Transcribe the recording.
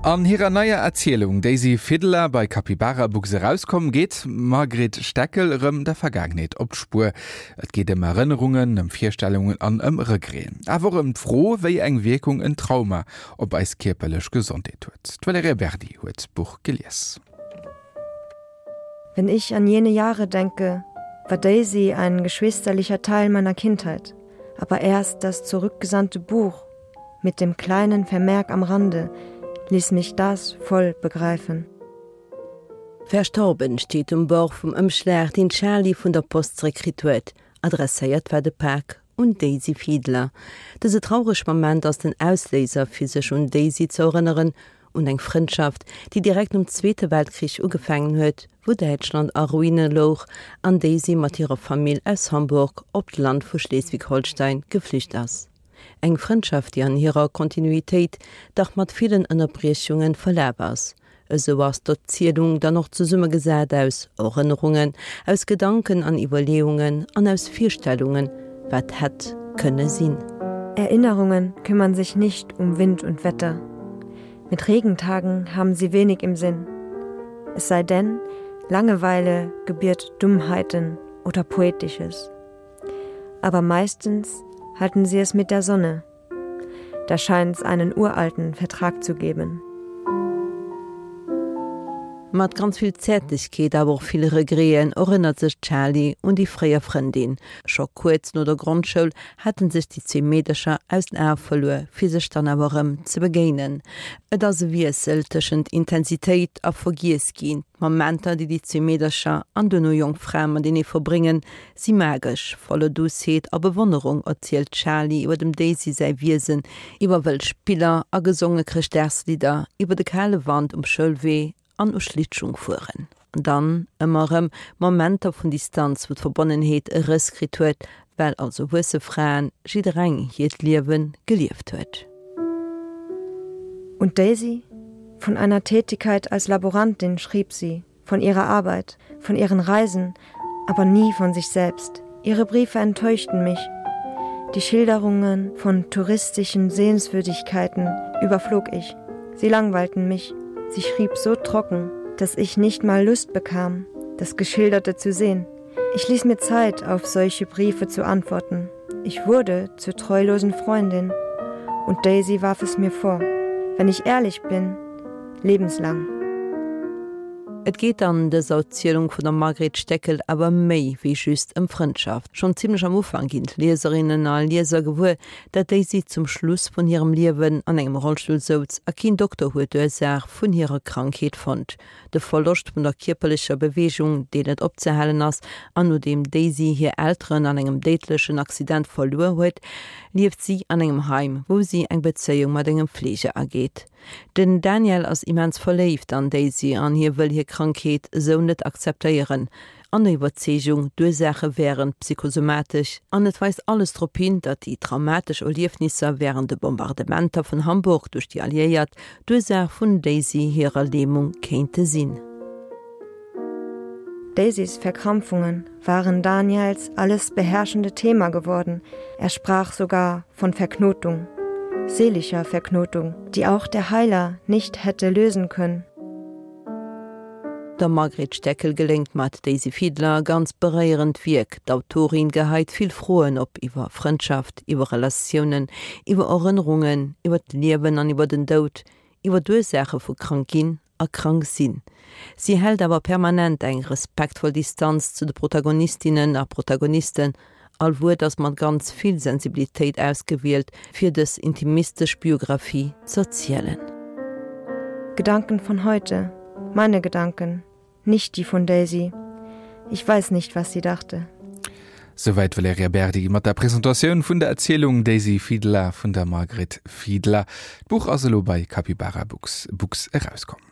An hirer neier Erzielung Daisy Fiddler, bei Capybara Books erauskomm, geet d'Margret Steckel erëm der Vergaangenheet op d'Spuer. Et geet ëm Erënnerungen, ëm Virstellungen an ëm Regreten. Awer och ëm d'Fro, wéi eng Wierkung en Trauma op eis kierperlech Gesondheet huet. D'Valerija Berdi huet d'Buch gelies. Wenn ich an jene Jahre denke, war Daisy ein geschwisterlicher Teil meiner Kindheit, aber erst das zurückgesandte Buch mit dem kleinen Vermerk am Rande ließ mich das voll begreifen. Verstorben steet um Bord vum Ëmschlag, deen d'Charlie vun der Post zeréckkritt huet. Adresséiert war de Pak un d'Daisy Fiedler. Dëse traureg Moment ass den Ausléiser fir sech un Daisy ze erënneren, un eng Frëndschaft, déi direkt nom Zweete Weltkrich ugefaangen huet, wou Däitschland a Ruine louch an Daisy mat hirer Famill aus Hamburg op d'Land vu Schleswig-Holstein geflücht ass. Eng Frëndschaft, déi an hirer Kontinuitéit dach mat villen Ënnerbriechunge verlaf ass. Esou ass d'Erzielung dann och zesummegesat aus Erënnerungen, aus Gedanken an Iwwerleeungen an aus Virstellungen, wat hätt kënne sinn. Erinnerungen kümmern sich nicht um Wind und Wetter. Mit Regentagen haben sie wenig im Sinn. Es sei denn, Langeweile gebiert Dummheiten oder Poetisches. Aber meistens halten sie es mit der Sonne. Da scheint es einen uralten Vertrag zu geben. Mat ganz vill Zäertlechkeet, awer och vill Regreten erënnert sech d'Charlie un déi fréier Frëndin. Scho kuerz no der Grondschoul haten sech déi zwee Meedercher aus den Ae verluer, fir sech dann awer erëm ze begéinen. Et ass e Wiessel tëschent Intensitéit a Vergiess ginn. D'Momenter, déi déi zwee Meedercher an duerno jonk Frae matenee verbréngen, Si magesch, voller Douceheet a Bewonnerung erzielt d'Charlie iwwer dem Daisy säi Wiesen, iwwer wëll Spiller a gesonge Chrëschtdagslidder, iwwer de kale Wand um Schoulwee an u Schlittschung fueren. An dann ëmmer erëm Momenter vun Distanz, wou d'Verbonnenheet e Rëss kritt huet, well als erwuesse Fraen jiddereng hiert Liewe gelieft huet. Und Daisy? Von einer Tätigkeit als Laborantin schrieb sie, von ihrer Arbeit, von ihren Reisen, aber nie von sich selbst. Ihre Briefe enttäuschten mich. Die Schilderungen von touristischen Sehenswürdigkeiten überflog ich. Sie langweilten mich. Sie schrieb so trocken, dass ich nicht mal Lust bekam, das Geschilderte zu sehen. Ich ließ mir Zeit, auf solche Briefe zu antworten. Ich wurde zur treulosen Freundin und Daisy warf es mir vor. Wenn ich ehrlich bin, lebenslang. Et geet an dëser Erzielung vun der Margret Steckel awer méi wéi just ëm Frëndschaft. Schonn zimmlech am Ufank ginn d'Lieserinnen a Lieser gewuer, dat Daisy zum Schluss vun hirem Liewen an engem Rollstull souz a keen Dokter huet d'Ursaach vun hirer Krankheet fonnt. De Verloscht vun der kierperlecher Beweegung, deen net opzehalen ass, an nodeem Daisy hir Elteren an engem déidlechen Accident verluer huet, lieft si an engem Heim, wou si eng Bezéiung mat engem Fleeger ageet. Den Daniel ass immens verléift an Daisy an hie wëll hir Krankheet esou net akzeptéieren. An der Iwwerzeegung, d'Ursaache wären psychosomatesch an et weist alles drop hin, datt déi traumatesch Erliefnisser wärend de Bombardementer vun Hamburg duerch déi Alliéiert d'Ursaach vun Daisy hirer Lämung kéinte sinn. Daisys Verkrampfungen waren Daniels alles beherrschende Thema geworden. Er sprach sogar von Verknotung, seelischer Verknotung, die auch der Heiler nicht hätte lösen können. Der Margret Steckel geléngt mat Daisy Fiedler e ganz beréierend Wierk. D'Autorin geheit vill Froen op iwwer Frëndschaft, iwwer Relatiounen, iwwer Erënnerungen, iwwer d'Liewen an iwwer den Doud, iwwer d'Ursaache vu krank ginn a krank sinn. Si hält awer permanent eng respektvoll Distanz zu de Protagonistinnen a Protagonisten. All Wuert ass mat ganz vill Sensibilitéit ausgewielt, fir dës intimistesch Biographie z'erzielen. Gedanken von heute, meine Gedanken, nicht die von Daisy. Ich weiß nicht, was sie dachte. Souwäit d'Valerija Berdi mat der Presentatioun vun der Erzielung Daisy Fiedler vun der Margret Fiedler. D'Buch ass elo bei Capybara Books Books erauskomm.